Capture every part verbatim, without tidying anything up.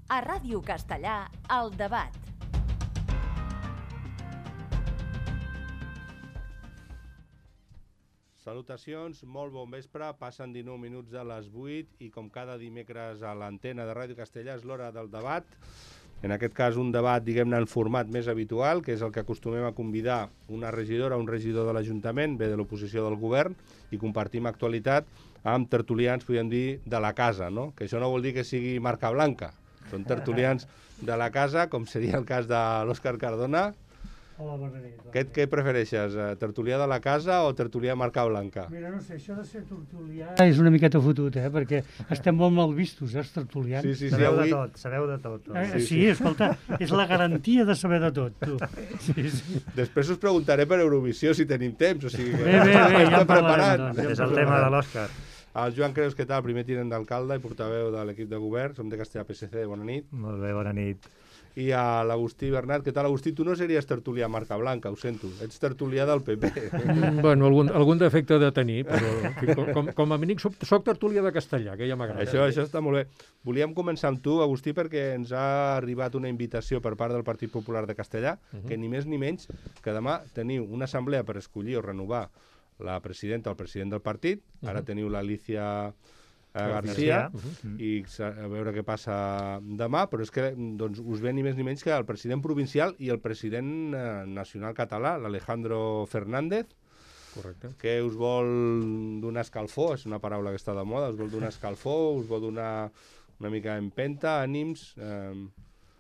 A Ràdio Castellà, El Debat. Salutacions, molt bon vespre, passen dinou minuts de les vuit i com cada dimecres a l'antena de Ràdio Castellà és l'hora del debat. En aquest cas un debat, diguem-ne, en format més habitual, que és el que acostumem a convidar una regidora o un regidor de l'Ajuntament, ve de l'oposició del govern, i compartim actualitat amb tertulians, podríem dir, de la casa, no? Que això no vol dir que sigui marca blanca, són tertulians de la casa, com seria el cas de l'Òscar Cardona. Hola, bona nit. Què, què prefereixes, tertulià de la casa o tertulià marca blanca? Mira, no sé, això de ser tertulià és una miqueta fotut, eh? Perquè estem molt mal vistos, eh, els tertulians. Sí, sí, sí, sabeu avui... de tot, sabeu de tot. Eh, Sí, sí, sí. escolta, és la garantia de saber de tot, tu. Sí, sí. Després us preguntaré per Eurovisió si tenim temps, o sigui que Bé, bé, bé, ja estem en parlarem, preparant. doncs. És el tema de l'Òscar. El Joan Creus, què tal? Primer tinent d'alcalde i portaveu de l'equip de govern, som de Castellà P S C, bona nit. Molt bé, bona nit. I a l'Agustí Bernat, què tal, Agustí? Tu no series tertulià marca blanca, ho sento, ets tertulià del P P. Mm, bueno, algun, algun defecte de tenir, però en fi, com, com a mínim soc, soc tertulià de castellà, que ja m'agrada. Això, això està molt bé. Volíem començar amb tu, Agustí, perquè ens ha arribat una invitació per part del Partit Popular de Castellà, uh -huh. que ni més ni menys que demà teniu una assemblea per escollir o renovar la presidenta o el president del partit. Ara uh -huh. teniu l'Alicia García, Uh -huh. i a veure què passa demà, però és que doncs, us ve ni més ni menys que el president provincial i el president eh, nacional català, l'Alejandro Fernández, Correcte. que us vol donar escalfor, és una paraula que està de moda, us vol donar escalfor, us vol donar una mica d'empenta, ànims, eh,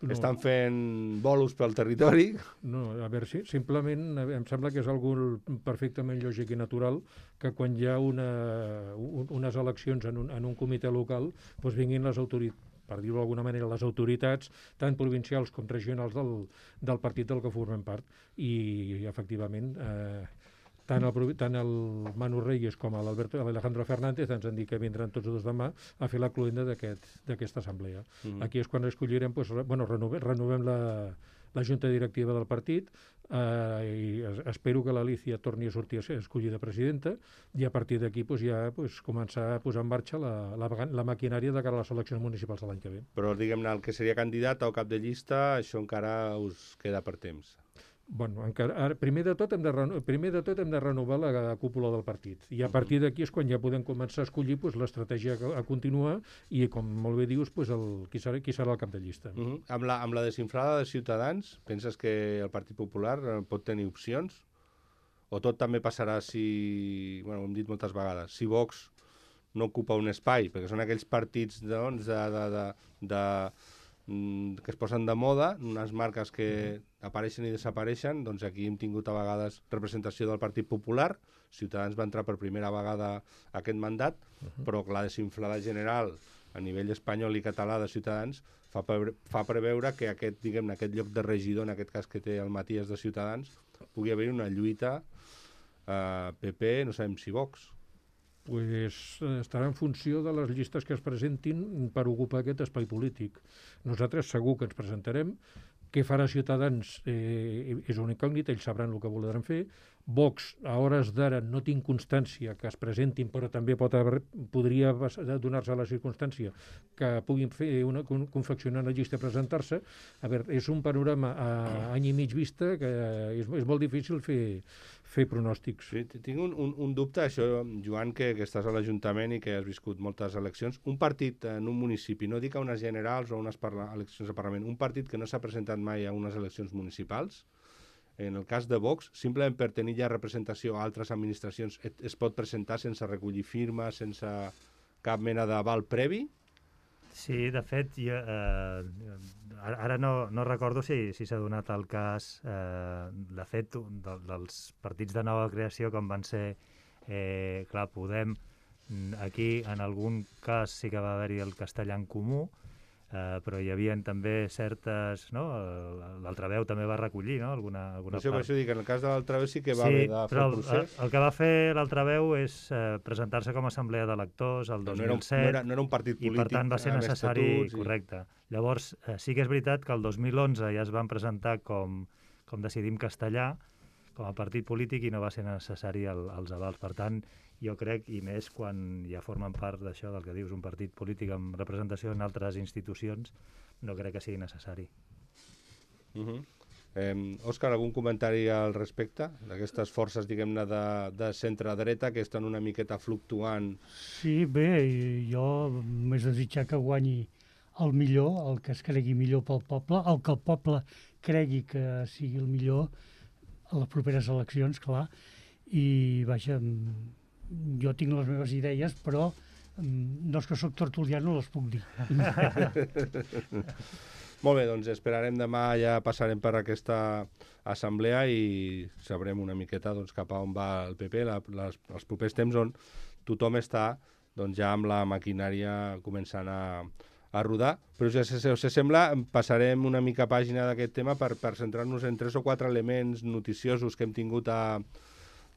No. estan fent bolos pel territori. No, a veure, sí, simplement em sembla que és algú perfectament lògic i natural que quan hi ha una, un, unes eleccions en un, en un comitè local doncs vinguin les autoritats, per dir-ho d'alguna manera, les autoritats, tant provincials com regionals del, del partit del que formem part. I, i efectivament, eh, tant el, tant el Manu Reyes com l'Alejandro Fernández ens han dit que vindran tots dos demà a fer la cloenda d'aquesta aquest, assemblea. Mm-hmm. Aquí és quan escollirem, doncs, bueno, renovem, renovem la, la junta directiva del partit, eh, i espero que l'Alicia torni a sortir a ser escollida presidenta, i a partir d'aquí doncs, ja doncs, començar a posar en marxa la, la, la maquinària de cara a les eleccions municipals de l'any que ve. Però, diguem-ne, el que seria candidat o cap de llista, això encara us queda per temps. Bueno, encara, ara, primer, de tot hem de reno, primer de tot hem de renovar la, la cúpula del partit, i a partir d'aquí és quan ja podem començar a escollir pues, l'estratègia a, a continuar i, com molt bé dius, pues, el, qui, serà, qui serà el cap de llista. Uh -huh. amb, la, amb la desinflada de Ciutadans, penses que el Partit Popular eh, pot tenir opcions? O tot també passarà si, bueno, ho hem dit moltes vegades, si Vox no ocupa un espai, perquè són aquells partits doncs, de, de, de, de, de, que es posen de moda, unes marques que apareixen i desapareixen, doncs aquí hem tingut a vegades representació del Partit Popular, Ciutadans va entrar per primera vegada a aquest mandat, uh -huh. però la desinflada general a nivell espanyol i català de Ciutadans fa, pre fa preveure que aquest, diguem-ne, aquest lloc de regidor, en aquest cas que té el Matías de Ciutadans, pugui haver una lluita eh, P P, no sabem si Vox. Pues estarà en funció de les llistes que es presentin per ocupar aquest espai polític. Nosaltres segur que ens presentarem. Què farà Ciutadans eh, és una incògnita, ells sabran el que voldran fer. Vox, a hores d'ara, no tinc constància que es presentin, però també pot haver, podria donar-se la circumstància que puguin fer una, confeccionar una llista i presentar-se. A veure, és un panorama a any i mig vista que és, és molt difícil fer, fer pronòstics. Sí, tinc un, un, un dubte, això, Joan, que, que estàs a l'Ajuntament i que has viscut moltes eleccions. Un partit en un municipi, no dic a unes generals o a unes eleccions de Parlament, un partit que no s'ha presentat mai a unes eleccions municipals, en el cas de Vox, simplement per tenir ja representació a altres administracions, es pot presentar sense recollir firmes, sense cap mena d'aval previ? Sí, de fet, jo, eh, ara no, no recordo si, si s'ha donat el cas, eh, de fet, de, dels partits de nova creació, com van ser, eh, clar, Podem, aquí en algun cas sí que va haver-hi el castellà en comú, Uh, però hi havia també certes, no? L'altra veu també va recollir, no? Alguna, alguna això, part. Per això dic, en el cas de l'altra veu sí que va sí, haver de fer el procés. El, el que va fer l'altra veu és uh, presentar-se com a assemblea d'electors el dos mil set. No era, no era un partit polític. I per tant va ser necessari, i... correcte. Llavors, uh, sí que és veritat que el dos mil onze ja es van presentar com, com Decidim Castellà, com a partit polític i no va ser necessari el, els avals. Per tant, jo crec, i més quan ja formen part d'això del que dius, un partit polític amb representació en altres institucions, no crec que sigui necessari. Uh-huh. Eh, Òscar, algun comentari al respecte d'aquestes forces, diguem-ne, de, de centre-dreta que estan una miqueta fluctuant? Sí, bé, jo m'és desitjar que guanyi el millor, el que es cregui millor pel poble, el que el poble cregui que sigui el millor a les properes eleccions, clar, i vaja, jo tinc les meves idees, però no és que soc tertulià, no les puc dir. Molt bé, doncs esperarem demà, ja passarem per aquesta assemblea i sabrem una miqueta doncs, cap a on va el P P, la, les, els propers temps on tothom està doncs, ja amb la maquinària començant a, a rodar. Però si us, us sembla, passarem una mica pàgina d'aquest tema per, per centrar-nos en tres o quatre elements noticiosos que hem tingut a,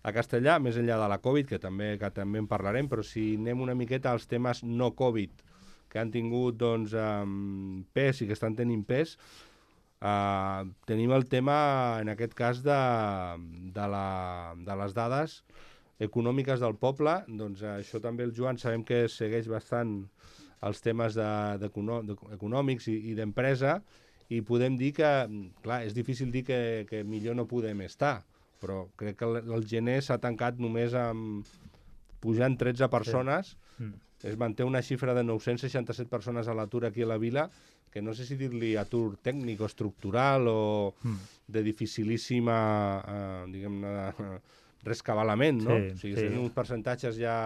a Castellà, més enllà de la Covid, que també, que també en parlarem, però si anem una miqueta als temes no Covid, que han tingut doncs, um, pes i que estan tenint pes, uh, tenim el tema, en aquest cas, de, de, la, de les dades econòmiques del poble. Doncs uh, això també el Joan sabem que segueix bastant els temes de, de, de, econòmics i, i d'empresa, i podem dir que, clar, és difícil dir que, que millor no podem estar, però crec que el, el gener s'ha tancat només amb pujant tretze persones. Sí. Mm. Es manté una xifra de nou-cents seixanta-set persones a l'atur aquí a la vila, que no sé si dir-li atur tècnic o estructural o mm. de dificilíssima, eh, diguem-ne, rescabalament, no? Sí, o sigui, sí. Tenen uns percentatges ja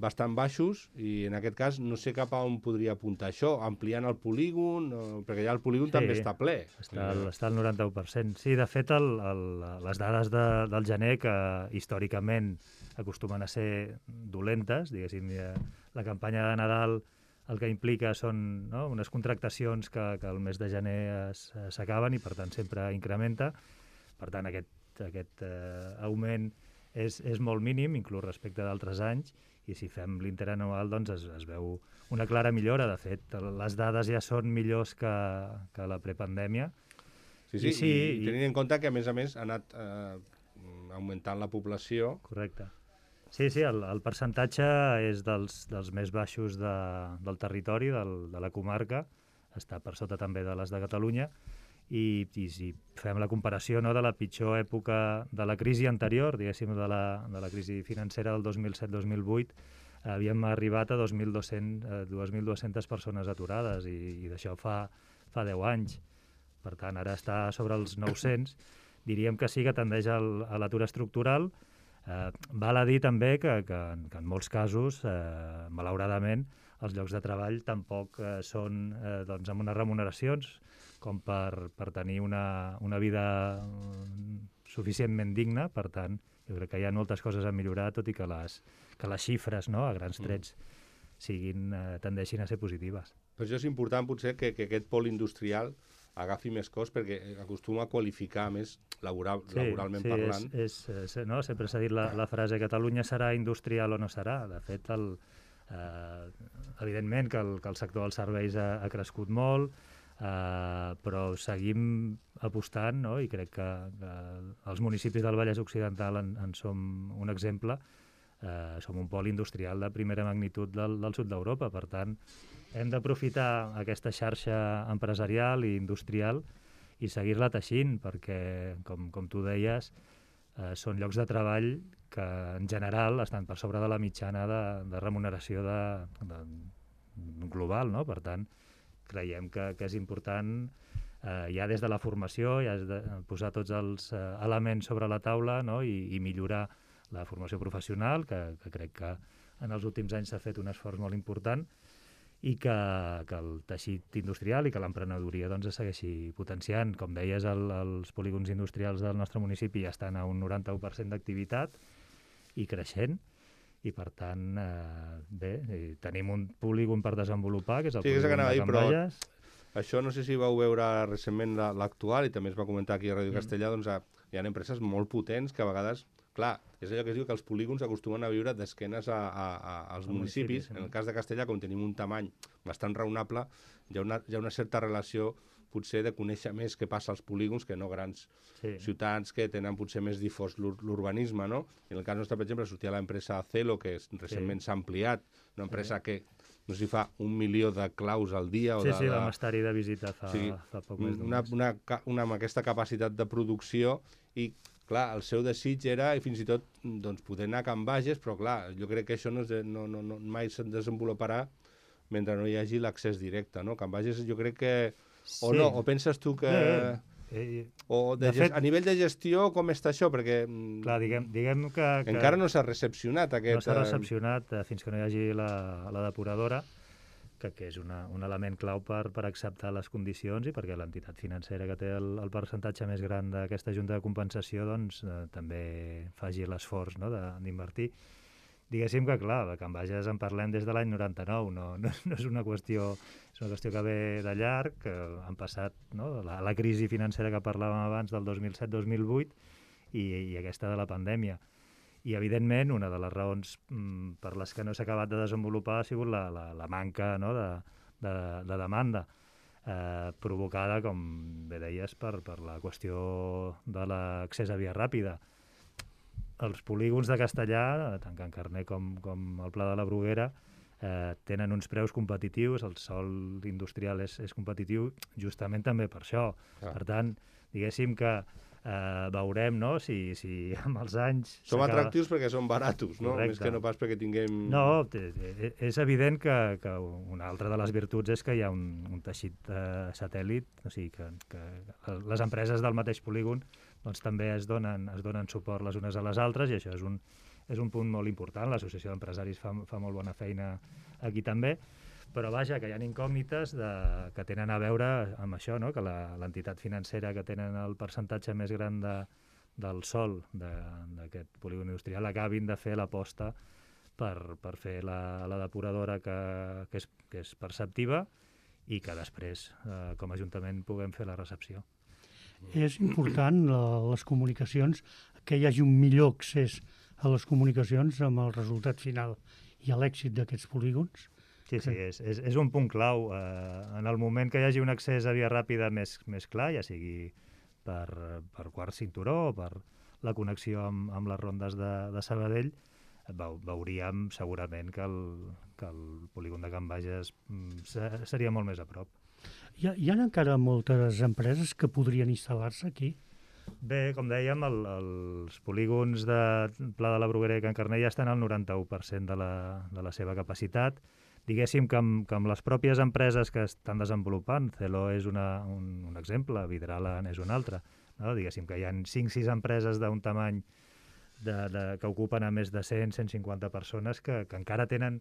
bastant baixos i en aquest cas no sé cap a on podria apuntar això, ampliant el polígon, o, perquè ja el polígon sí, també està ple. Està al, està al noranta-u per cent. Sí, de fet, el, el, les dades de, del gener, que històricament acostumen a ser dolentes, diguéssim, la campanya de Nadal el que implica són no, unes contractacions que, que el mes de gener s'acaben i per tant sempre incrementa. Per tant aquest, aquest eh, augment és, és molt mínim, inclús respecte d'altres anys, i si fem l'interanual doncs es, es veu una clara millora. De fet, les dades ja són millors que, que la prepandèmia. Sí, sí, I, sí, i, i tenint en compte que a més a més ha anat eh, augmentant la població. Correcte. Sí, sí, el, el percentatge és dels, dels més baixos de, del territori, del, de la comarca, està per sota també de les de Catalunya, i, i si fem la comparació no, de la pitjor època de la crisi anterior, diguéssim, de la, de la crisi financera del dos mil set dos mil vuit, havíem arribat a dos mil dues-centes persones aturades, i, i d'això fa, fa deu anys. Per tant, ara està sobre els nou-cents. Diríem que sí que tendeix al, a l'atur estructural. Eh, val a dir també que, que, que en molts casos, eh, malauradament, els llocs de treball tampoc eh, són eh, doncs, amb unes remuneracions com per, per tenir una, una vida suficientment digna. Per tant, jo crec que hi ha moltes coses a millorar, tot i que les, que les xifres, no, a grans trets, siguin, eh, tendeixin a ser positives. Per això és important potser que, que aquest pol industrial agafi més cos, perquè acostuma a qualificar més laboral, sí, laboralment sí, parlant. És, és, no? Sempre s'ha dit la, la frase Catalunya serà industrial o no serà. De fet, el, eh, evidentment que el, que el sector dels serveis ha, ha crescut molt, eh, però seguim apostant, no? I crec que, que els municipis del Vallès Occidental en, en som un exemple. Eh, som un pol industrial de primera magnitud del, del sud d'Europa. Per tant, hem d'aprofitar aquesta xarxa empresarial i industrial i seguir-la teixint, perquè, com, com tu deies, eh, són llocs de treball que, en general, estan per sobre de la mitjana de, de remuneració de, de, global, no? Per tant, creiem que, que és important, eh, ja des de la formació, ja de posar tots els eh, elements sobre la taula, no? I, i millorar la formació professional, que, que crec que en els últims anys s'ha fet un esforç molt important, i que, que el teixit industrial i que l'emprenedoria doncs, es segueixi potenciant. Com deies, el, els polígons industrials del nostre municipi ja estan a un noranta-u per cent d'activitat i creixent, i per tant, eh, bé, tenim un polígon per desenvolupar, que és el sí, polígon de Can Bages. Això no sé si vau veure recentment l'actual, i també es va comentar aquí a Ràdio mm. Castellà, doncs hi ha empreses molt potents que a vegades, clar, és allò que es diu que els polígons acostumen a viure d'esquenes a, a, a, als municipis. municipis. En el cas de Castellà, com tenim un tamany bastant raonable, hi ha una, hi ha una certa relació potser de conèixer més què passa als polígons que no grans Sí. ciutats que tenen potser més difós l'ur- l'urbanisme, no? En el cas nostre, per exemple, sortia l'empresa Acelo, que és, recentment s'ha ampliat, una empresa que no sé si fa un milió de claus al dia o Sí, de, sí, de... vam estar-hi de visita fa, O sigui, fa poc més d'un una, mes. una, ca- una, amb aquesta capacitat de producció i, clar, el seu desig era i fins i tot doncs, poder anar a Can Bages, però clar, jo crec que això no, es de, no, no, no mai se'n desenvoluparà mentre no hi hagi l'accés directe, no? Can Bages jo crec que... O Sí. no, o penses tu que... Eh, eh, O de de gest... fet- a nivell de gestió, com està això? Perquè mm, clar, diguem, diguem que, que encara no s'ha recepcionat aquest... no s'ha eh, recepcionat eh, fins que no hi hagi la, la depuradora, que, que és una, un element clau per, per acceptar les condicions i perquè l'entitat financera que té el, el percentatge més gran d'aquesta junta de compensació doncs, eh, també faci l'esforç, no?, de- d'invertir. Diguéssim que, clar, de Can Bages en parlem des de l'any noranta-nou, no, no, no és una qüestió és una qüestió que ve de llarg, que han passat, no?, la, la crisi financera que parlàvem abans del dos mil set dos mil vuit i, i aquesta de la pandèmia. I, evidentment, una de les raons mm, per les que no s'ha acabat de desenvolupar ha sigut la, la, la manca, no?, de, de, de demanda, eh, provocada, com bé deies, per, per la qüestió de l'accés a via ràpida. Els polígons de Castellà, tant Can Carner com, com el Pla de la Bruguera, eh, tenen uns preus competitius, el sòl industrial és, és competitiu justament també per això. Clar. Per tant, diguéssim que eh, veurem, no?, si, si amb els anys... Som s'acaba- atractius perquè són baratos, no? Correcte. Més que no pas perquè tinguem... No, té- té- és evident que, que una altra de les virtuts és que hi ha un, un teixit eh, satèl·lit, o sigui que, que les empreses del mateix polígon doncs, també es donen, es donen suport les unes a les altres i això és un, és un punt molt important. L'Associació d'Empresaris fa, fa molt bona feina aquí també, però vaja, que hi ha incògnites de, que tenen a veure amb això, no?, que la- l'entitat financera que tenen el percentatge més gran de, del sòl d'aquest polígon industrial acabin de fer l'aposta per, per fer la, la depuradora que, que, és, que és perceptiva i que després, eh, com a Ajuntament, puguem fer la recepció. És important la, les comunicacions, que hi hagi un millor accés a les comunicacions amb el resultat final i a l'èxit d'aquests polígons. Sí, sí, és, és, és un punt clau. Eh, en el moment que hi hagi un accés a via ràpida més, més clar, ja sigui per, per quart cinturó o per la connexió amb, amb les rondes de, de Sabadell, veu, veuríem segurament que el, que el polígon de Can Bages mm, se- seria molt més a prop. Hi ha, hi ha encara moltes empreses que podrien instal·lar-se aquí. Bé, com dèiem, el, els polígons de Pla de la Bruguera i Can Carner ja estan al noranta-u per cent de la, de la seva capacitat. Diguéssim que amb, que amb les pròpies empreses que estan desenvolupant, Celo és una, un, un exemple, Vidrala és un altre, no? Diguéssim que hi ha cinc sis empreses d'un tamany de, de, que ocupen a més de cent a cent cinquanta persones que, que encara tenen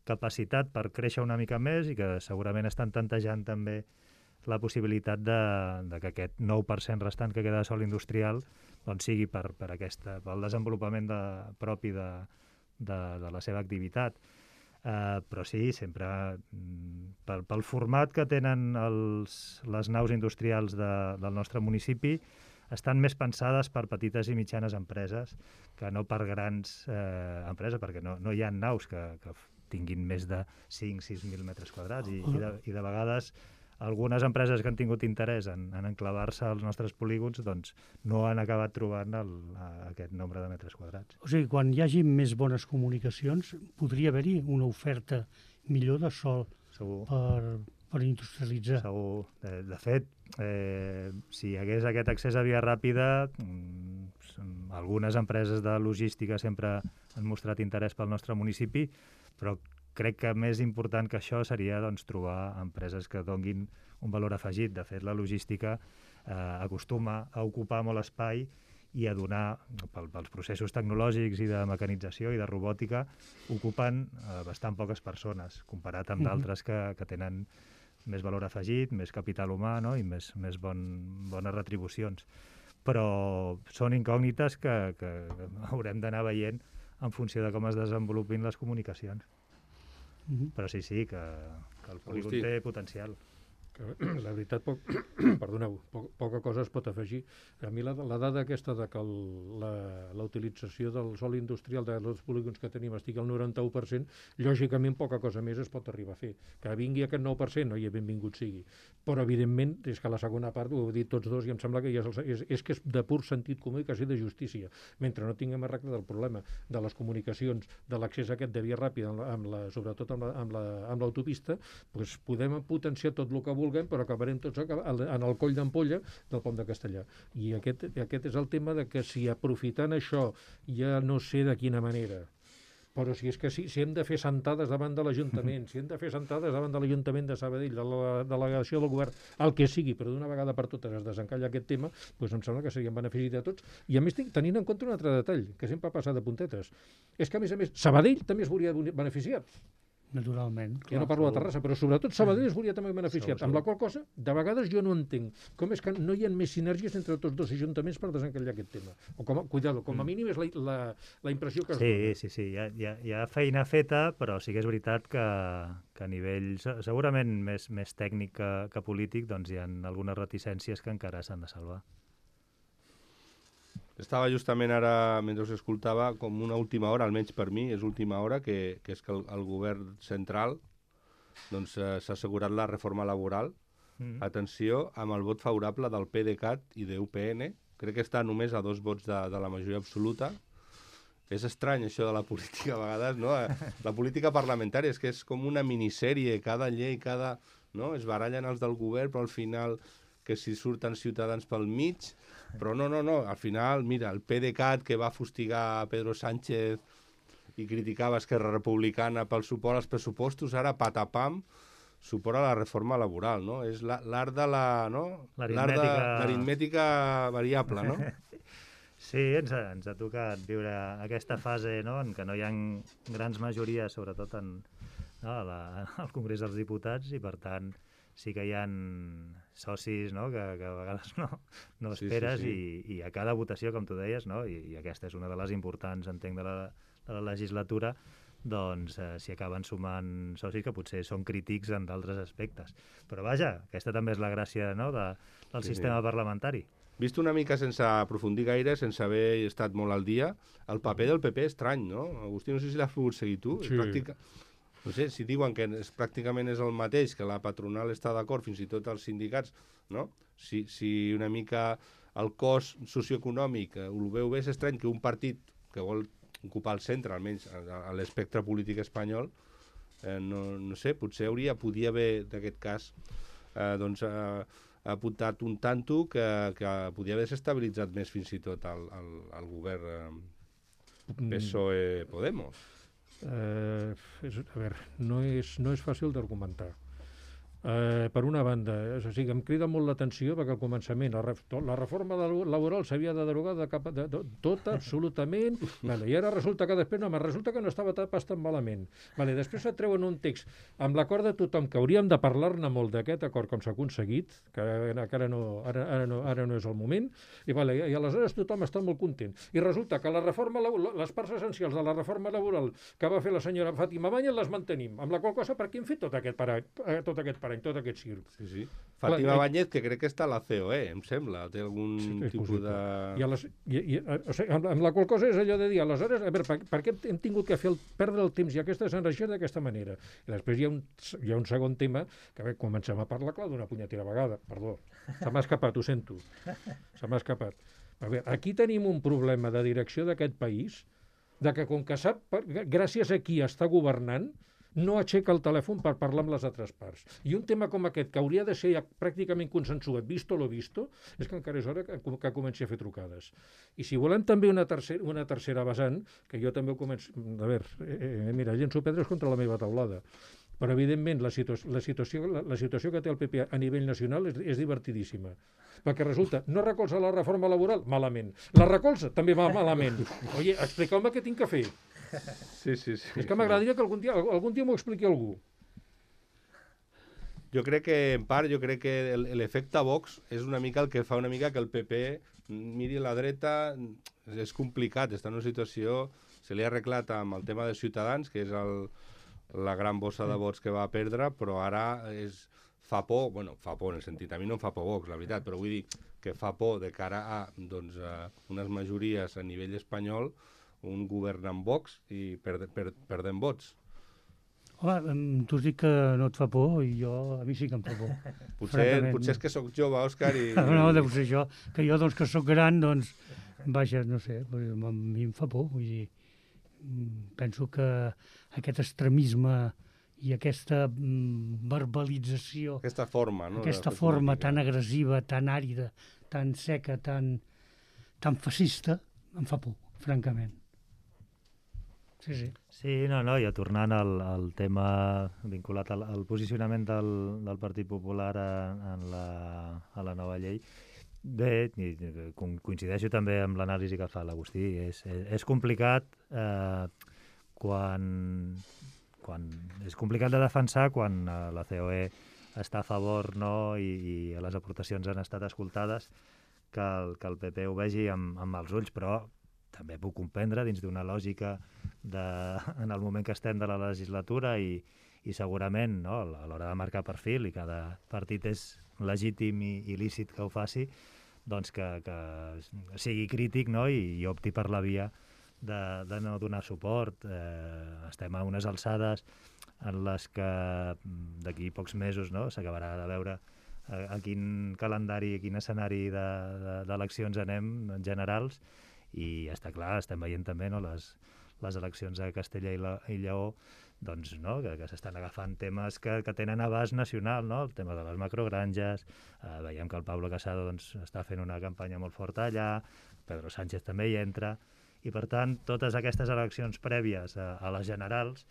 capacitat per créixer una mica més i que segurament estan tantejant també la possibilitat de, de que aquest nou per cent restant que queda de sòl industrial doncs sigui per, per aquesta, pel desenvolupament de, propi de, de, de la seva activitat. Uh, però sí, sempre mm, pel, pel format que tenen els, les naus industrials de, del nostre municipi estan més pensades per petites i mitjanes empreses que no per grans eh, empreses, perquè no, no hi ha naus que, que tinguin més de cinc a sis mil metres quadrats i, i, de, i de vegades algunes empreses que han tingut interès en, en enclavar-se als nostres polígons doncs no han acabat trobant el, a, aquest nombre de metres quadrats. O sigui, quan hi hagi més bones comunicacions, podria haver-hi una oferta millor de sòl Segur. per, per industrialitzar. Segur. De, de fet, eh, si hi hagués aquest accés a via ràpida, mm, algunes empreses de logística sempre han mostrat interès pel nostre municipi, però crec que més important que això seria doncs, trobar empreses que donguin un valor afegit. De fet, la logística eh, acostuma a ocupar molt espai i a donar, pel, pels processos tecnològics i de mecanització i de robòtica, ocupen eh, bastant poques persones, comparat amb d'altres que, que tenen més valor afegit, més capital humà, no?, i més, més bon, bones retribucions. Però són incògnites que, que haurem d'anar veient en funció de com es desenvolupin les comunicacions. Mhm. Però sí, sí, que, que el polígon Agustí. té potencial. que la veritat, poc, perdoneu, poc, poca cosa es pot afegir. A mi la, la dada aquesta de que el, la, la utilització del sòl industrial dels polígons que tenim estigui al noranta-u per cent, lògicament poca cosa més es pot arribar a fer. Que vingui aquest nou per cent, oi, benvingut sigui. Però, evidentment, és que la segona part, ho heu dit tots dos, i em sembla que ja és, el, és, és que és de pur sentit comú i quasi de justícia. Mentre no tinguem arregle del problema de les comunicacions, de l'accés aquest de via ràpida, amb la, amb la, sobretot amb l'autopista, la, amb doncs podem potenciar tot el que vulguem, però acabarem tots en el coll d'ampolla del pont de Castellar. I aquest, aquest és el tema de que si aprofitant això, ja no sé de quina manera, però si és que si, si hem de fer sentades davant de l'Ajuntament, si hem de fer sentades davant de l'Ajuntament de Sabadell, de la delegació del govern, el que sigui, però d'una vegada per totes es desencalla aquest tema, doncs em sembla que seria en benefici de tots. I a més, tenint en compte un altre detall, que sempre passa de puntetes, és que a més a més, Sabadell també es veuria beneficiat. Naturalment. Ja no parlo de Terrassa, però sobretot Sabadell es veuria també beneficiat. Segur, amb la qual cosa, de vegades jo no entenc com és que no hi ha més sinergies entre tots dos ajuntaments per desencallar aquest tema. O com a, cuidado, com a mínim és la, la, la impressió que es Sí, dona. sí, sí, hi ha, hi, ha, hi ha feina feta, però sí que és veritat que, que a nivell se- segurament més, més tècnic que, que polític, doncs hi ha algunes reticències que encara s'han de salvar. Estava justament ara, mentre us escoltava, com una última hora, almenys per mi, és última hora, que, que és que el, el govern central doncs, eh, s'ha assegurat la reforma laboral. Mm. Atenció, amb el vot favorable del PDeCAT i de U P N. Crec que està només a dos vots de, de la majoria absoluta. És estrany, això de la política, a vegades, no? La política parlamentària és que és com una minissèrie, cada llei, cada... no? Es barallen els del govern, però al final que si surten ciutadans pel mig, però no, no, no, al final, mira, el PDeCAT que va fustigar Pedro Sánchez i criticava Esquerra Republicana pel suport als pressupostos, ara patapam, suport a la reforma laboral, no? És la- l'art de la... no? L'art de- L'aritmètica- l'aritmètica variable, no? Sí, ens ha, ens ha tocat viure aquesta fase, no?, en què no hi ha grans majories, sobretot en, no, a la, al Congrés dels Diputats, i per tant sí que hi ha socis, no?, que, que a vegades no, no Sí, sí, esperes, sí. I, i a cada votació, com tu deies, no?, i, i aquesta és una de les importants, entenc, de la, de la legislatura, doncs eh, s'hi acaben sumant socis que potser són crítics en d'altres aspectes. Però vaja, aquesta també és la gràcia, no?, de, del Sí, sistema sí. parlamentari. Vist una mica sense aprofundir gaire, sense haver estat molt al dia, el paper del P P és estrany, no? Agustí, no sé si l'has pogut seguir tu. Sí. És pràctica... No sé, si diuen que és, pràcticament és el mateix, que la patronal està d'acord, fins i tot els sindicats, no? Si, si una mica el cos socioeconòmic eh, ho veu bé, és estrany que un partit que vol ocupar el centre, almenys a, a l'espectre polític espanyol, eh, no, no sé, potser hauria, podia haver, d'aquest cas, eh, doncs, eh, apuntat un tanto que, que podia haver desestabilitzat més fins i tot el, el, el govern eh, P S O E-Podemos. Eh, és, a veure, no és, no és fàcil d'argumentar. Eh, per una banda, és a dir, em crida molt l'atenció perquè al començament la, ref, to, la reforma de, laboral s'havia de derogar de cap, de, de, tota, absolutament, vale, i ara resulta que després no, me resulta que no estava pas tan malament. Vale, després et treuen un text amb l'acord de tothom, que hauríem de parlar-ne molt d'aquest acord com s'ha aconseguit, que, que ara, no, ara, ara, no, ara no és el moment, i, vale, i aleshores tothom està molt content. I resulta que la reforma, les parts essencials de la reforma laboral que va fer la senyora Fàtima Báñez les mantenim, amb la qual cosa per què hem fet tot aquest parany, tot aquest parany, tot aquest circ. Sí, sí. Fàtima Clar, Báñez, que crec que està a la C O E, em sembla, té algun Sí, és tipus possible. de... I, a les, i, i, o sigui, amb, amb la qual cosa és allò de dir, aleshores, a veure, per, per què hem tingut que fer el, perdre el temps i aquestes energies d'aquesta manera? I després hi ha un, hi ha un segon tema, que a veure, comencem a parlar, clar, d'una punyetera vegada, perdó, se m'ha escapat, ho sento, se m'ha escapat. A veure, aquí tenim un problema de direcció d'aquest país, de que com que sap, per, gràcies a qui està governant, no aixeca el telèfon per parlar amb les altres parts. I un tema com aquest, que hauria de ser ja pràcticament consensuat, visto lo visto, és que encara és hora que, que comenci a fer trucades. I si volem també una tercera, una tercera vessant, que jo també ho començo... A veure, eh, mira, llenço pedres contra la meva taulada. Però, evidentment, la, situa la, situació, la, la situació que té el P P a nivell nacional és, és divertidíssima. Perquè resulta, no recolza la reforma laboral? Malament. La recolza? També va malament. Oye, expliqueu-me què tinc que fer. Sí, sí, sí. És que m'agradaria que algun dia, algun dia m'ho expliqui algú. Jo crec que, en part, jo crec que l'efecte Vox és una mica el que fa una mica que el P P miri a la dreta, és complicat, està en una situació, se li ha arreglat amb el tema de Ciutadans, que és el, la gran bossa de vots que va perdre, però ara és, fa por, bueno, fa por en el sentit, a mi no em fa por Vox, la veritat, però vull dir que fa por de cara a, doncs, a unes majories a nivell espanyol, un govern amb Vox i perde, per, perdent vots. Home, tu has dit que no et fa por i jo, a mi sí que em fa por. Potser, potser és que sóc jove, Òscar, i... No, deu ser això, que jo, doncs, que sóc gran, doncs, vaja, no sé, a mi em fa por, vull dir, penso que aquest extremisme i aquesta mm, verbalització, aquesta forma, no? aquesta forma tan agressiva, tan àrida, tan seca, tan, tan fascista, em fa por, francament. Sí, sí. Sí, no, no, i tornant al, al tema vinculat al, al posicionament del, del Partit Popular a, en la, a la nova llei, bé, coincideixo també amb l'anàlisi que fa l'Agustí, és, és, és complicat eh, quan... quan és complicat de defensar quan la C O E està a favor, no, i, i les aportacions han estat escoltades, que el, que el P P ho vegi amb, amb els ulls, però també puc comprendre dins d'una lògica de, en el moment que estem de la legislatura i, i segurament, no, a l'hora de marcar perfil, i cada partit és legítim i, i lícit que ho faci, doncs que, que sigui crític, no, i, i opti per la via De, de no donar suport. Eh, estem a unes alçades en les que d'aquí pocs mesos, no, s'acabarà de veure a, a quin calendari, a quin escenari d'eleccions de, de, anem generals, i està clar, estem veient també, no, les, les eleccions a Castella i, la, i Lleó, doncs, no, que, que s'estan agafant temes que, que tenen abast nacional, no? El tema de les macrogranges, eh, veiem que el Pablo Casado, doncs, està fent una campanya molt forta allà, Pedro Sánchez també hi entra, i per tant totes aquestes eleccions prèvies a, a les generals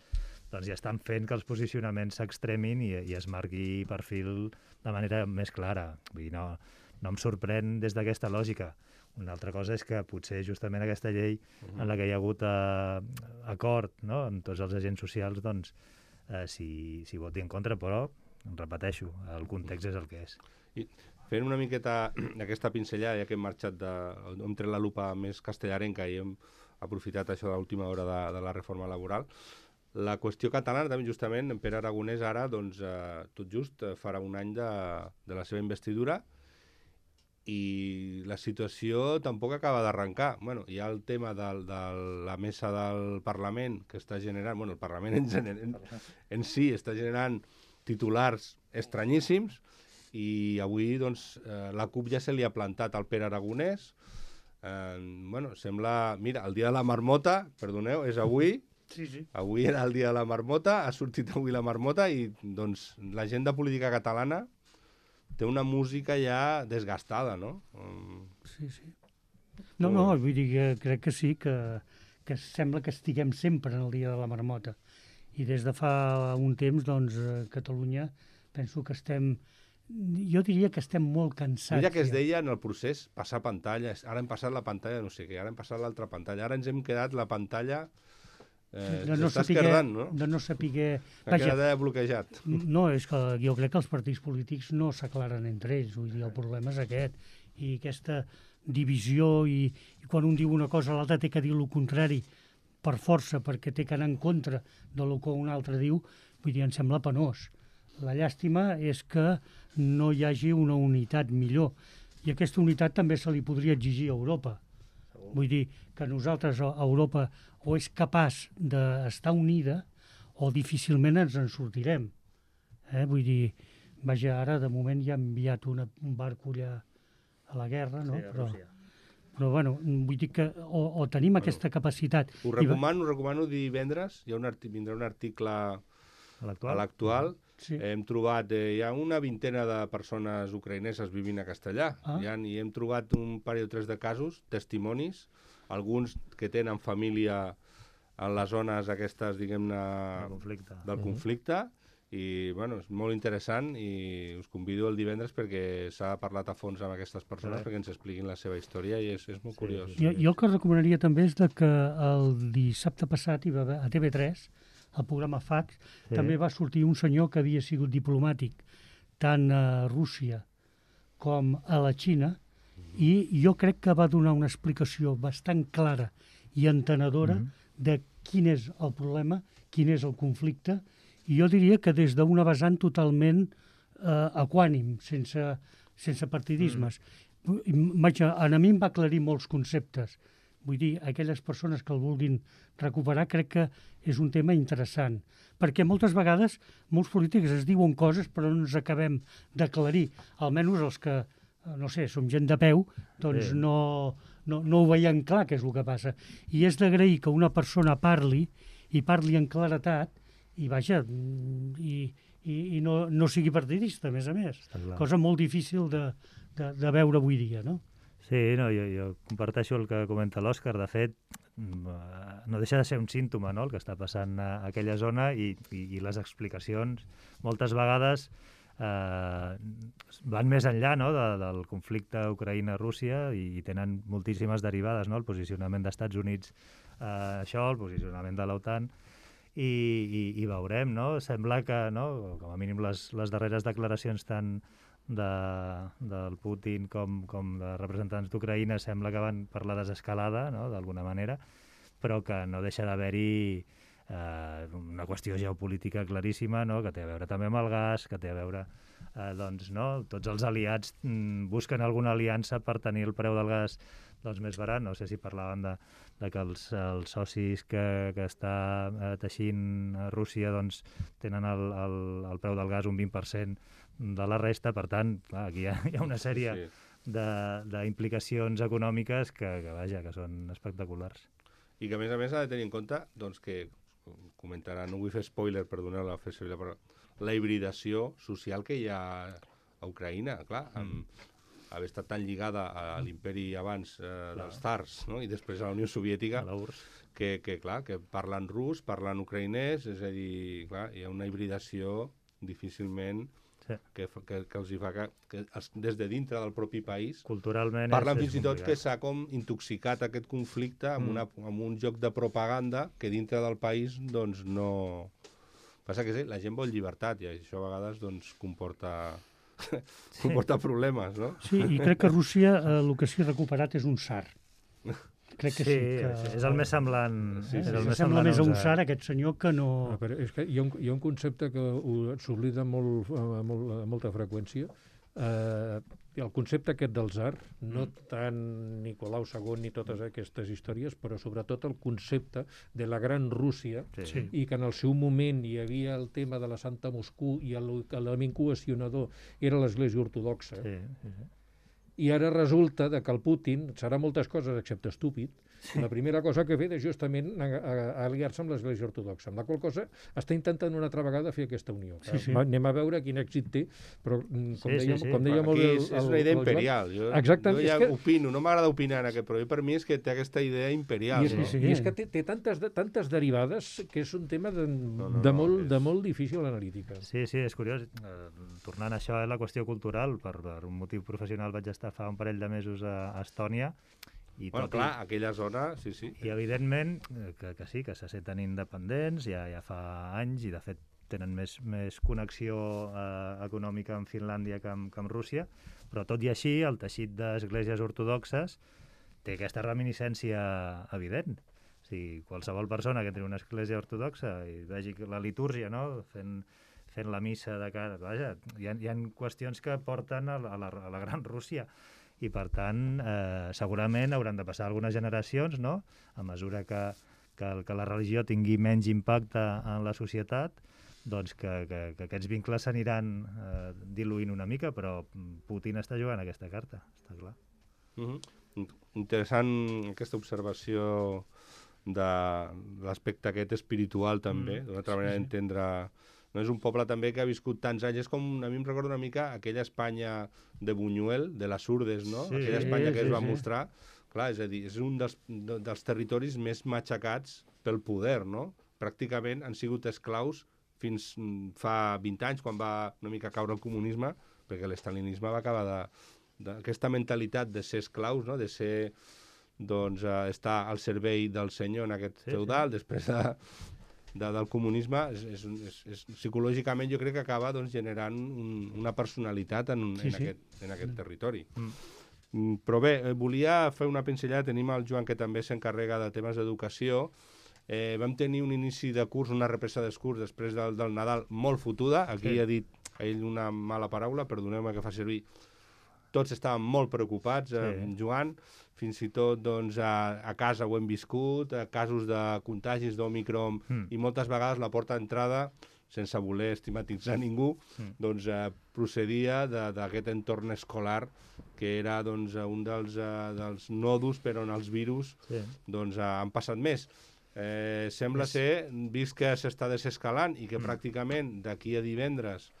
doncs ja estan fent que els posicionaments s'extremin i, i es marqui perfil de manera més clara. Vull dir, no, no em sorprèn des d'aquesta lògica. Una altra cosa és que potser justament aquesta llei uh-huh. en la que hi ha hagut eh, acord, no, amb tots els agents socials, doncs eh, si, si voti en contra, però repeteixo, el context és el que és. I fent una miqueta d'aquesta pinzellada, ja que hem marxat de... hem tret la lupa més castellarenca i hem aprofitat això de l'última hora de, de la reforma laboral, la qüestió catalana també justament, en Pere Aragonès ara, doncs, eh, tot just eh, farà un any de, de la seva investidura i la situació tampoc acaba d'arrencar. Bueno, hi ha el tema de, de la mesa del Parlament que està generant, bueno, el Parlament en, en, en si està generant titulars estranyíssims, i avui doncs, eh, la CUP ja se li ha plantat al Pere Aragonès. Eh, bueno, sembla... Mira, el dia de la marmota, perdoneu, és avui. Sí, sí. Avui era el dia de la marmota, ha sortit avui la marmota i doncs l'agenda política catalana té una música ja desgastada, no? Um... Sí, sí. No, no, vull dir que crec que sí, que, que sembla que estiguem sempre en el dia de la marmota. I des de fa un temps, doncs, a Catalunya penso que estem... Jo diria que estem molt cansats. Mira que es ja. deia en el procés passar pantalles, ara hem passat la pantalla no sé què, ara hem passat l'altra pantalla, ara ens hem quedat la pantalla eh, de no s'està saber, esquerdant, no? De no saber... Ha quedat bloquejat. No, és que jo crec que els partits polítics no s'aclaren entre ells, vull dir, el problema és aquest, i aquesta divisió, i, i quan un diu una cosa l'altre té que dir el contrari per força, perquè té que anar en contra del que un altre diu, vull dir, em sembla penós. La llàstima és que no hi hagi una unitat millor. I aquesta unitat també se li podria exigir a Europa. Vull dir que nosaltres, a Europa, o és capaç d'estar unida o difícilment ens en sortirem. Eh? Vull dir, vaja, ara de moment ja ha enviat una, un barco allà a la guerra, no? Sí, a però, Rússia. però bueno, vull dir que o, o tenim bueno, aquesta capacitat... Us recomano, us recomano divendres, hi ha un arti, vindrà un article a l'Actual. Sí. Hem trobat, eh, hi ha una vintena de persones ucraïneses vivint a Castellà, ah. hi ha, i hem trobat un parell o tres de casos, testimonis, alguns que tenen família en les zones aquestes, diguem-ne, del conflicte, del uh-huh. conflicte i, bueno, és molt interessant i us convido el divendres perquè s'ha parlat a fons amb aquestes persones sí. perquè ens expliquin la seva història i és, és molt sí, curiós. Jo, jo el que recomanaria també és de que el dissabte passat hi va haver, a T V tres, el programa Fax, sí. també va sortir un senyor que havia sigut diplomàtic tant a Rússia com a la Xina mm-hmm. i jo crec que va donar una explicació bastant clara i entenedora mm-hmm. de quin és el problema, quin és el conflicte, i jo diria que des d'una vessant totalment eh, equànim, sense, sense partidismes. Mm. Vaig, a, a mi em va aclarir molts conceptes. Vull dir, aquelles persones que el vulguin recuperar, crec que és un tema interessant. Perquè moltes vegades molts polítics es diuen coses però no ens acabem d'aclarir. Almenys els que, no sé, som gent de peu, doncs Sí. no, no, no ho veiem clar què és el que passa. I és d'agrair que una persona parli, i parli en claretat, i vaja, i, i, i no, no sigui partidista, a més a més. Està clar. Cosa molt difícil de, de, de veure avui dia, no? Sí, no, jo, jo comparteixo el que comenta l'Òscar. De fet, no deixa de ser un símptoma, no?, el que està passant a aquella zona i, i, i les explicacions moltes vegades eh, van més enllà, no?, de, del conflicte Ucraïna-Rússia i, i tenen moltíssimes derivades, no?, el posicionament d'Estats Units, eh, això, el posicionament de l'OTAN, i, i, i veurem, no?, sembla que, no?, com a mínim les, les darreres declaracions tan de, del Putin com, com de representants d'Ucraïna sembla que van per la desescalada, no?, d'alguna manera, però que no deixa d'haver-hi eh, una qüestió geopolítica claríssima, no?, que té a veure també amb el gas, que té a veure, eh, doncs, no?, tots els aliats mm, busquen alguna aliança per tenir el preu del gas doncs, més barat. No sé si parlaven de, de que els, els socis que, que està eh, teixint a Rússia doncs, tenen el, el, el preu del gas un vint per cent de la resta, per tant, clar, aquí hi ha, hi ha una sèrie sí. d'implicacions econòmiques que, que, vaja, que són espectaculars. I que, a més a més, ha de tenir en compte doncs, que, comentarà, no vull fer spoiler, perdoneu la fer servir la paraula, la hibridació social que hi ha a Ucraïna, clar, amb mm. haver estat tan lligada a l'imperi abans eh, dels tsars, no?, i després a la Unió Soviètica, que, que, clar, que parlen rus, parlen ucraïnès, és a dir, clar, hi ha una hibridació difícilment sí. que, que, que els hi fa que, que els, des de dintre del propi país culturalment parlen és, fins i tot que s'ha com intoxicat aquest conflicte amb, mm. una, amb un joc de propaganda que dintre del país doncs no... Passa que sí, la gent vol llibertat i això a vegades doncs comporta... comporta sí. problemes, no? Sí, i crec que Rússia eh, el que s'hi ha recuperat és un tsar. Crec que sí. sí que, és el més semblant. Sí, és sí, el sí, més sembla més a un a... tsar, aquest senyor, que no... Ah, però és que hi ha un, hi ha un concepte que s'oblida molt, amb molt, molta freqüència. Eh, el concepte aquest del tsar, no tant Nicolau segon ni totes aquestes històries, però sobretot el concepte de la gran Rússia, sí. i que en el seu moment hi havia el tema de la Santa Moscou i l'element cohesionador era l'Església Ortodoxa. Sí, sí, sí. I ara resulta que el Putin serà moltes coses excepte estúpid. Sí. La primera cosa que ha fet és justament aliar-se amb l'Església Ortodoxa, amb la qual cosa està intentant una altra vegada fer aquesta unió. Sí, sí. Anem a veure quin èxit té, però com sí, deia, sí, sí. com deia bueno, molt bé... El, el, és la idea imperial. Jo, Exacte, jo ja que... opino, no m'agrada opinar en aquest, però per mi és que té aquesta idea imperial. I és, no? sí, sí. I és que té, té tantes, tantes derivades que és un tema de, no, no, de, molt, no, és... de molt difícil analítica. Sí, sí, és curiós. Eh, tornant a això, eh, la qüestió cultural, per, per un motiu professional vaig estar fa un parell de mesos a, a Estònia. I bueno, tot clar, i, aquella zona, sí, sí. I evidentment que, que sí, que se senten independents ja, ja fa anys i de fet tenen més, més connexió eh, econòmica amb Finlàndia que amb, que amb Rússia, però tot i així el teixit d'esglésies ortodoxes té aquesta reminiscència evident. O sigui, qualsevol persona que té una església ortodoxa i vegi la litúrgia, no?, fent, fent la missa de cara... Vaja, hi ha, hi ha qüestions que porten a la, a la, a la gran Rússia. I, per tant, eh, segurament hauran de passar algunes generacions, no?, a mesura que, que, que la religió tingui menys impacte en la societat, doncs que, que, que aquests vincles s'aniran eh, diluint una mica, però Putin està jugant aquesta carta, està clar. Mm-hmm. Interessant aquesta observació de l'aspecte aquest espiritual, també, mm, d'una altra manera sí, d'entendre... No és un poble també que ha viscut tants anys, és com, a mi em recorda una mica aquella Espanya de Buñuel, de les Urdes, no? Sí, aquella Espanya que sí, es va sí. mostrar. Clar, és a dir, és un dels, dels territoris més matxacats pel poder, no? Pràcticament han sigut esclaus fins fa vint anys, quan va una mica caure el comunisme, perquè l'estalinisme va acabar de... d'aquesta mentalitat de ser esclaus, no?, de ser, doncs, uh, estar al servei del senyor en aquest sí, feudal, sí. després de... De, del comunisme, és, és, és, és, psicològicament jo crec que acaba doncs, generant un, una personalitat en, sí, en, sí. Aquest, en aquest territori. Mm. Mm, però bé, eh, volia fer una pinzellada, tenim el Joan que també s'encarrega de temes d'educació. Eh, vam tenir un inici de curs, una represa dels curs després del, del Nadal molt fotuda, aquí sí. ha dit ell una mala paraula, perdoneu-me que fa servir, tots estaven molt preocupats, eh, Sí. Joan, fins i tot doncs, a, a casa ho hem viscut, a casos de contagis d'Omicron, Mm. i moltes vegades la porta d'entrada, sense voler estigmatitzar ningú, Mm. doncs eh, procedia de- d'aquest entorn escolar que era doncs, un dels, eh, dels nòduls per on els virus Sí. doncs, eh, han passat més. Eh, sembla És- ser, vist que s'està desescalant i que Mm. pràcticament d'aquí a divendres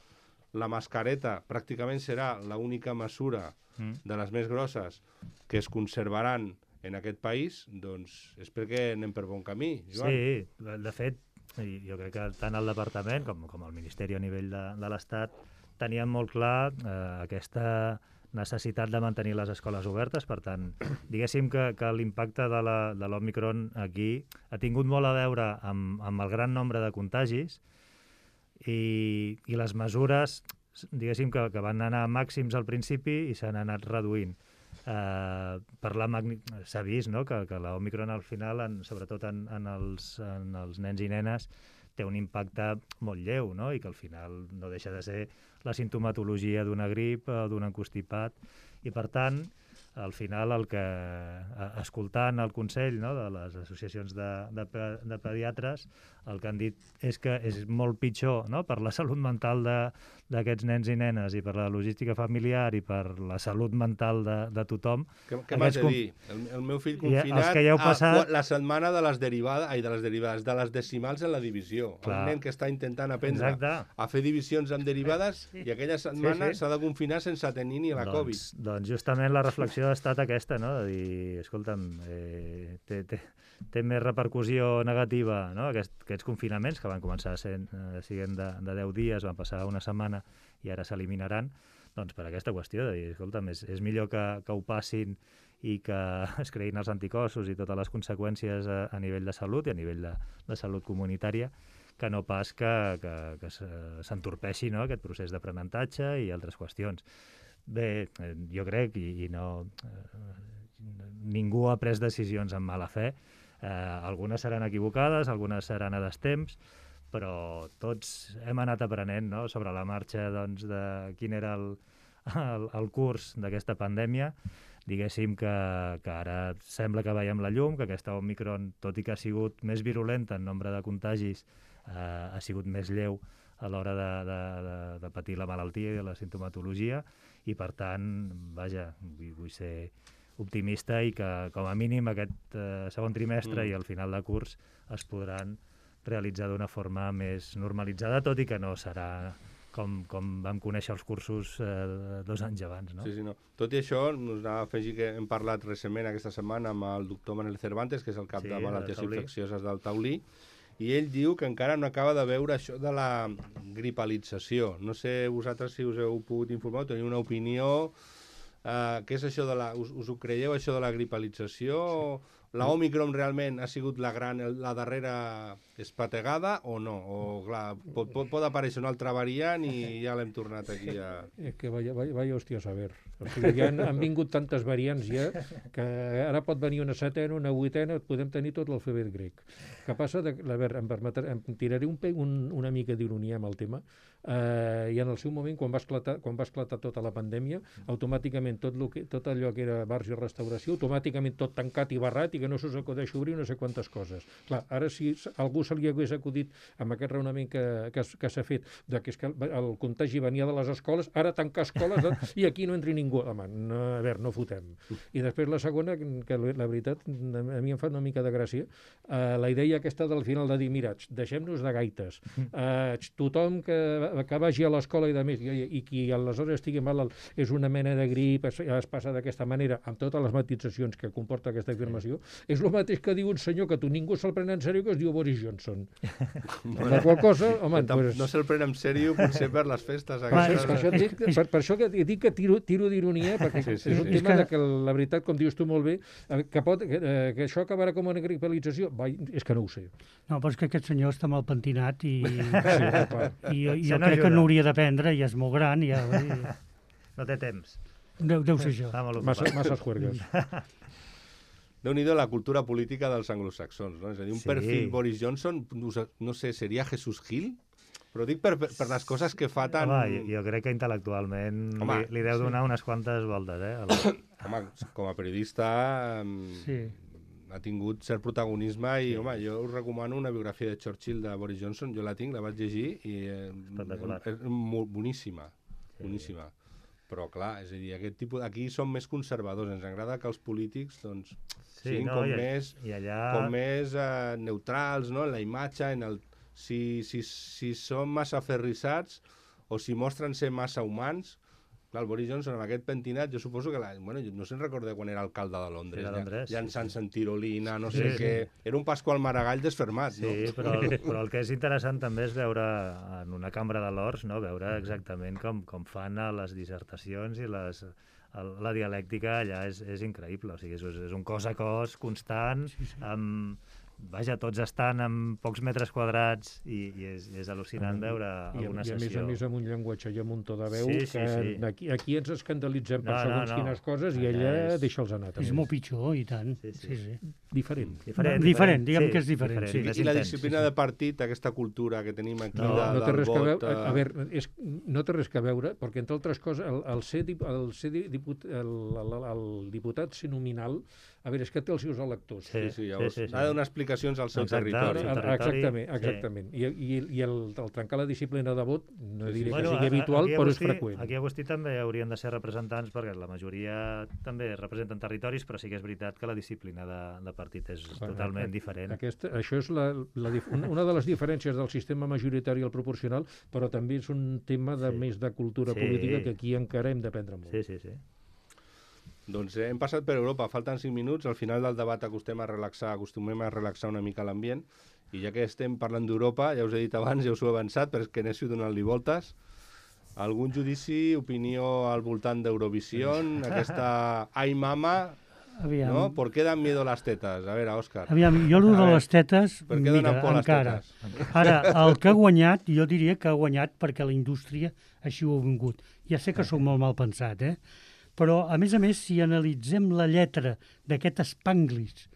la mascareta pràcticament serà l'única mesura Mm. de les més grosses que es conservaran en aquest país, doncs és perquè anem per bon camí, Joan. Sí, de de fet, i jo crec que tant el departament com, com el Ministeri a nivell de, de l'Estat tenien molt clar eh, aquesta necessitat de mantenir les escoles obertes. Per tant, diguéssim que, que l'impacte de la- de l'Omicron aquí ha tingut molt a veure amb, amb el gran nombre de contagis i, i les mesures, diguéssim, que, que van anar a màxims al principi i s'han anat reduint. Uh, per la magni... S'ha vist, no?, que, que l'Omicron al final, en, sobretot en, en, els, en els nens i nenes, té un impacte molt lleu, no?, i que al final no deixa de ser la simptomatologia d'una grip o d'un encostipat, i per tant, al final, el que, eh, escoltant el consell, no?, de les associacions de, de, pe- de pediatres, el que han dit és que és molt pitjor, no?, per la salut mental de, d'aquests nens i nenes i per la logística familiar i per la salut mental de, de tothom. Què, què m'has Aquests de com- dir? El, el meu fill I els confinat que ja heu a passat- qua- la setmana de les derivades, ai, de les derivades, de les decimals en la divisió. Clar. Un nen que està intentant aprendre Exacte. a fer divisions amb derivades i aquella setmana Sí, sí. s'ha de confinar sense tenir ni la Covid. Doncs, doncs justament la reflexió ha estat aquesta, no?, de dir, escolta'm, eh, té, té, té més repercussió negativa, no?, Aquest, aquests confinaments que van començar sent, eh, siguent de, de deu dies, van passar una setmana i ara s'eliminaran, doncs per aquesta qüestió de dir, escolta'm, és, és millor que, que ho passin i que es creïn els anticossos i totes les conseqüències a, a nivell de salut i a nivell de, de salut comunitària, que no pas que, que, que se- s'entorpeixi, no?, aquest procés d'aprenentatge i altres qüestions. Bé, eh, jo crec, i, i no... Eh, ningú ha pres decisions amb mala fe. Eh, algunes seran equivocades, algunes seran a destemps, però tots hem anat aprenent, no?, sobre la marxa, doncs, de quin era el, el, el curs d'aquesta pandèmia. Diguéssim que, que ara sembla que veiem la llum, que aquesta Omicron, tot i que ha sigut més virulenta en nombre de contagis, eh, ha sigut més lleu a l'hora de, de, de, de patir la malaltia i la sintomatologia, i per tant, vaja, vull, vull ser optimista i que com a mínim aquest eh, segon trimestre Mm. i al final de curs es podran realitzar d'una forma més normalitzada, tot i que no serà com, com vam conèixer els cursos eh, dos anys abans, no? Sí, sí, no. Tot i això, us anava a afegir que hem parlat recentment aquesta setmana amb el doctor Manel Cervantes, que és el cap Sí, de de malalties Taulí. infeccioses del Taulí, i ell diu que encara no acaba de veure això de la gripalització. No sé vosaltres si us heu pogut informar, teniu una opinió. Uh, què és això de la... Us, us ho creieu, això de la gripalització? Sí. La Omicron realment ha sigut la gran, la darrera espategada o no? O, clar, pot, pot, pot aparèixer una altra variant i ja l'hem tornat aquí a... És que vaya, vaya, vaya hòstia a saber. O sigui, ja han, han vingut tantes variants ja que ara pot venir una setena, una vuitena, podem tenir tot l'alfabet grec. Que passa, de, a veure, em, permetre, em tiraré un, pe- un, una mica d'ironia amb el tema, eh, i en el seu moment, quan va, esclatar, quan va esclatar tota la pandèmia, automàticament tot, lo que, tot allò que era bars i restauració, automàticament tot tancat i barrat i que no s'us acudeix obrir no sé quantes coses. Clar, ara si algú se li hagués acudit amb aquest raonament que, que, que s'ha fet, de que, és que el, el contagi venia de les escoles, ara tancar escoles eh, i aquí no entri ningú. Home, no, a veure, no fotem. I després la segona, que la, la veritat, a mi em fa una mica de gràcia, eh, la idea aquesta del final de dir, mira, deixem-nos de gaites, eh, tothom que, que vagi a l'escola i de més, i, i qui aleshores estigui malalt és una mena de grip, es, es passa d'aquesta manera, amb totes les matitzacions que comporta aquesta afirmació, és el mateix que diu un senyor que tu ningú se'l pren en sèrio, que es diu Boris Johnson. Bueno, la qual cosa, home, tam- pues, no se'l pren en sèrio potser per les festes. per, això, aquestes. per, això et dic, per, per això que et dic que tiro, tiro d'ironia, perquè Sí, sí, és un sí. tema És que- de que la veritat, com dius tu molt bé, eh, que, pot, que, eh, que això acabarà com una gripalització, vai, és que no ho sé. No, però és que aquest senyor està mal pentinat i, Sí, clar. i jo, Això jo no crec que ajuda. no hauria d'aprendre, ja és molt gran, ja, i, No té temps. deu, deu ser això. Està molt Massa, ocupat. masses juergues. Déu-n'hi-do la cultura política dels anglosaxons, no? És a dir, un Sí. perfil Boris Johnson, no sé, no sé, seria Jesús Gil? Però dic per, per, per les coses que fa tan... Home, jo, jo crec que intel·lectualment Home, li, li deu sí. donar unes quantes voltes, eh? El... Home, com a periodista mm, Sí. ha tingut cert protagonisme i, home, jo us recomano una biografia de Churchill de Boris Johnson, jo la tinc, la vaig llegir i eh, Espectacular. és molt boníssima, boníssima. Però, clar, és a dir, aquest tipus... Aquí som més conservadors, ens agrada que els polítics, doncs, Sí, siguin no, com i, més, i allà... com més eh, neutrals, no?, en la imatge, en el... Si, si, si són massa aferrissats o si mostren ser massa humans. Clar, el Boris Johnson, amb aquest pentinat, jo suposo que... La, bueno, no se'n recorda quan era alcalde de Londres. Sí, de Londres, ja, sí, llançant-se sí. en tirolina, no Sí, sé sí. què... Era un Pasqual Maragall desfermat, Sí, no? però el, però el que és interessant també és veure en una cambra de l'Horts, no? Veure exactament com, com fan a les dissertacions i les, el, la dialèctica allà és, és increïble. O sigui, és, és un cos a cos constant, sí, sí. amb... Vaja, tots estan en pocs metres quadrats i, i és, és al·lucinant veure I, alguna i a sessió. més a més amb un llenguatge i amb un to de veu Sí, que sí, sí. Aquí, aquí ens escandalitzem per No, no, segons no. quines coses i Allà ella és- deixa'ls anar És també. molt pitjor, i tant. Sí, sí. Sí, sí. Diferent. Diferent, Diferent, diguem que és diferent, diferent, sí. més I la intens, disciplina sí, sí. de partit, aquesta cultura que tenim aquí No, de, no té del res que vot... veure, a, a eh, veure, és, no té res que veure, perquè entre altres coses, el, el ser, dip, el, ser di- diput, el, el, el diputat ser nominal, a veure, és que té els seus electors. Sí, sí, llavors, sí, sí, sí. ha de donar explicacions al seu Exacte, territori. al Ah, seu territori, exactament, sí. exactament. I, i, i el, el trencar la disciplina de vot, no Sí, sí. diré Bueno, que sigui a- habitual, aquí a però és Agustí- freqüent. Aquí a Agustí també haurien de ser representants, perquè la majoria també representen territoris, però sí que és veritat que la disciplina de, de partit és Clar, totalment a- diferent. Aquesta, això és la, la, dif- una una de les diferències del sistema majoritari al proporcional, però també és un tema de Sí. més de cultura Sí. política que aquí encara hem d'aprendre molt. Sí, sí, sí. Doncs eh, hem passat per Europa, falten cinc minuts, al final del debat acostem a relaxar, acostumem a relaxar una mica l'ambient, i ja que estem parlant d'Europa, ja us he dit abans, ja us ho he avançat, però és que anéssim donant-li voltes. Algun judici, opinió al voltant d'Eurovisió, aquesta Ai Mama, Aviam, ¿no? ¿Por qué dan miedo las tetas? A veure, Òscar. aviam jo el A de veure, les tetes, per què donen mira, por les encara. tetes? Ara, el que ha guanyat, jo diria que ha guanyat perquè la indústria així ho ha vingut. Ja sé que sóc molt mal pensat, eh? Però, a més a més, si analitzem la lletra d'aquest Spanglish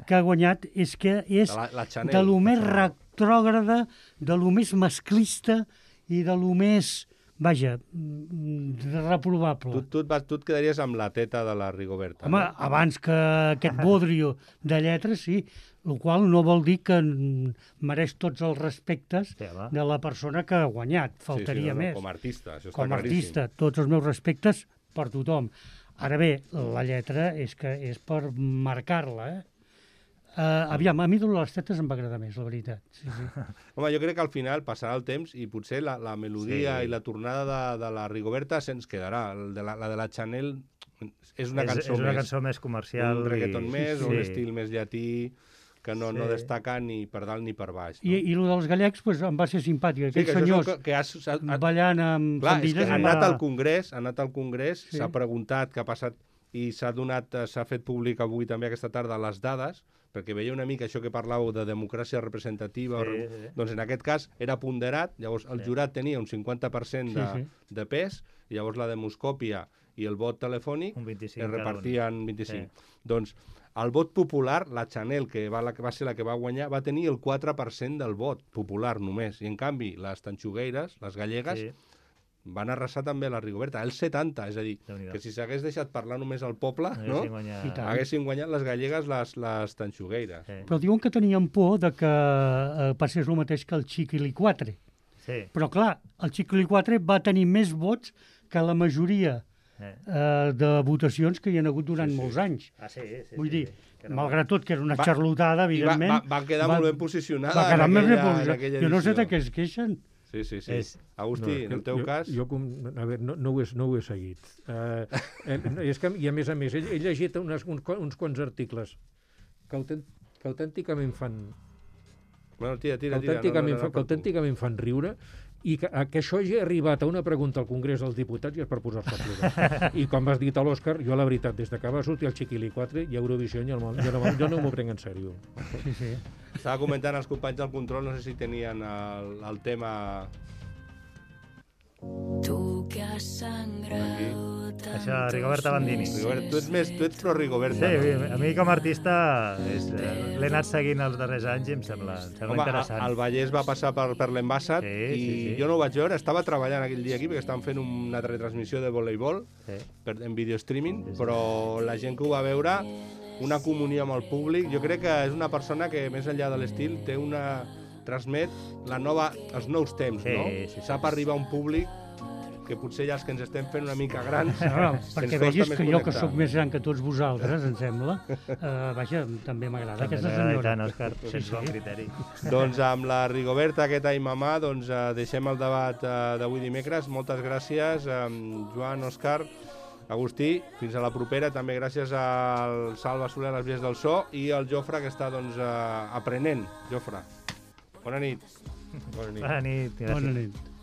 que ha guanyat, és que és La, la Chanel. de lo més retrògrada, de lo més masclista i de lo més, vaja, mm, reprovable. Tu, tu, et vas, tu et quedaries amb la teta de la Rigoberta. Home, no? abans que aquest bodrio de lletres, sí, el qual no vol dir que mm, mereix tots els respectes Sí, home. de la persona que ha guanyat, faltaria sí, sí, no, no, més. com a artista, això està Com a claríssim. artista, tots els meus respectes per tothom. Ara bé, la lletra és que és per marcar-la, eh? Uh, aviam, a mi de les tetes em va agradar més, la veritat. Sí, sí. Home, jo crec que al final passarà el temps i potser la, la melodia Sí. i la tornada de, de la Rigoberta se'ns quedarà. El de la, la de la Chanel és una és, cançó és una més, cançó més comercial. un reggaeton i... més, sí. un estil més llatí, que no, Sí. no destaca ni per dalt ni per baix. No? I, I el dels gallecs pues, em va ser simpàtic. sí, que Aquests això és senyors el que, que has, has, has, ballant amb clar, és que faldilles ha em anat va- al Congrés, ha anat al Congrés, Sí. s'ha preguntat què ha passat i s'ha donat, eh, s'ha fet públic avui també aquesta tarda les dades, perquè veia una mica això que parlàveu de democràcia representativa, Sí, o- sí. doncs en aquest cas era ponderat, llavors el Sí. jurat tenia un cinquanta per cent de, Sí, sí. de pes, i llavors la demoscòpia i el vot telefònic Un vint-i-cinc es cada un. repartien vint-i-cinc. Doncs el vot popular, la Chanel, que va, la, que va ser la que va guanyar, va tenir el quatre per cent del vot popular només, i en canvi les tanxugueires, les gallegues, Sí. van arrasar també a la Rigoberta, el setanta, és a dir, Déu-n'hi-do. que si s'hagués deixat parlar només al poble, no? Haguessin guanyat- I tant. haguessin guanyat les gallegues les, les tanxugueires. Sí. Però diuen que tenien por de que eh, passés el mateix que el Chiquilicuatre. Sí. Però clar, el Chiquilicuatre va tenir més vots que la majoria Eh. eh, de votacions que hi ha hagut durant Sí, sí. molts anys. Ah, sí, sí. Vull sí, dir, sí. Que no- malgrat tot, que era una Va- xarlotada, I va, evidentment... va, va quedar molt ben posicionada va quedar en, més ben aquella, en posicionada. aquella Jo no sé edició. de què es queixen. Sí, sí, sí. És- Agustí, en el teu jo, cas... Jo, com, a veure, no, no, ho he, no ho he seguit. Uh, eh, és que, I a més a més, he, he llegit unes, uns, qua- uns quants articles que, autent, que autènticament fan Bueno, tira, que tira, tira. autènticament, no, no, fa, no, que autènticament fan riure, i que, a, que això hagi arribat a una pregunta al Congrés dels Diputats i és per posar-se a plorar. I com has dit a l'Òscar, jo la veritat, des de que va sortir el Chiquilicuatre i Eurovisió, jo no, jo no, jo no m'ho prenc en sèrio. Sí, sí. Estava comentant els companys del control, no sé si tenien el, el tema... Tu que Aquí. Això, Rigoberta Bandini. Rigobert, tu ets més, tu ets pro Rigoberta. Sí, no? a mi com a artista és, eh, l'he anat seguint els darrers anys i em sembla, em sembla Home, interessant. el Vallès va passar per, per l'Envasat Sí, i sí, sí. jo no ho vaig veure, estava treballant aquell dia aquí perquè estaven fent una retransmissió de voleibol Sí. per, en video streaming, Sí, sí. però la gent que ho va veure, una comunió amb el públic, jo crec que és una persona que més enllà de l'estil té una... transmet la nova, els nous temps, Sí, no? sí, sí. Sap arribar a un públic que potser ja els que ens estem fent una mica grans No, ens perquè costa vegis més que jo, que connectar. sóc més gran que tots vosaltres, em sembla, eh, vaja, també m'agrada També aquesta t'agrada i senyora. tant, Òscar, tens sí. bon criteri. Doncs amb la Rigoberta, aquest ai mamà, doncs eh, deixem el debat eh, d'avui dimecres. Moltes gràcies, eh, Joan, Òscar, Agustí. Fins a la propera. També gràcies al Salva Soler a les vies del so i al Jofre, que està doncs, eh, aprenent. Jofre, bona nit. Bona nit. Bona nit. Gràcies. Bona nit.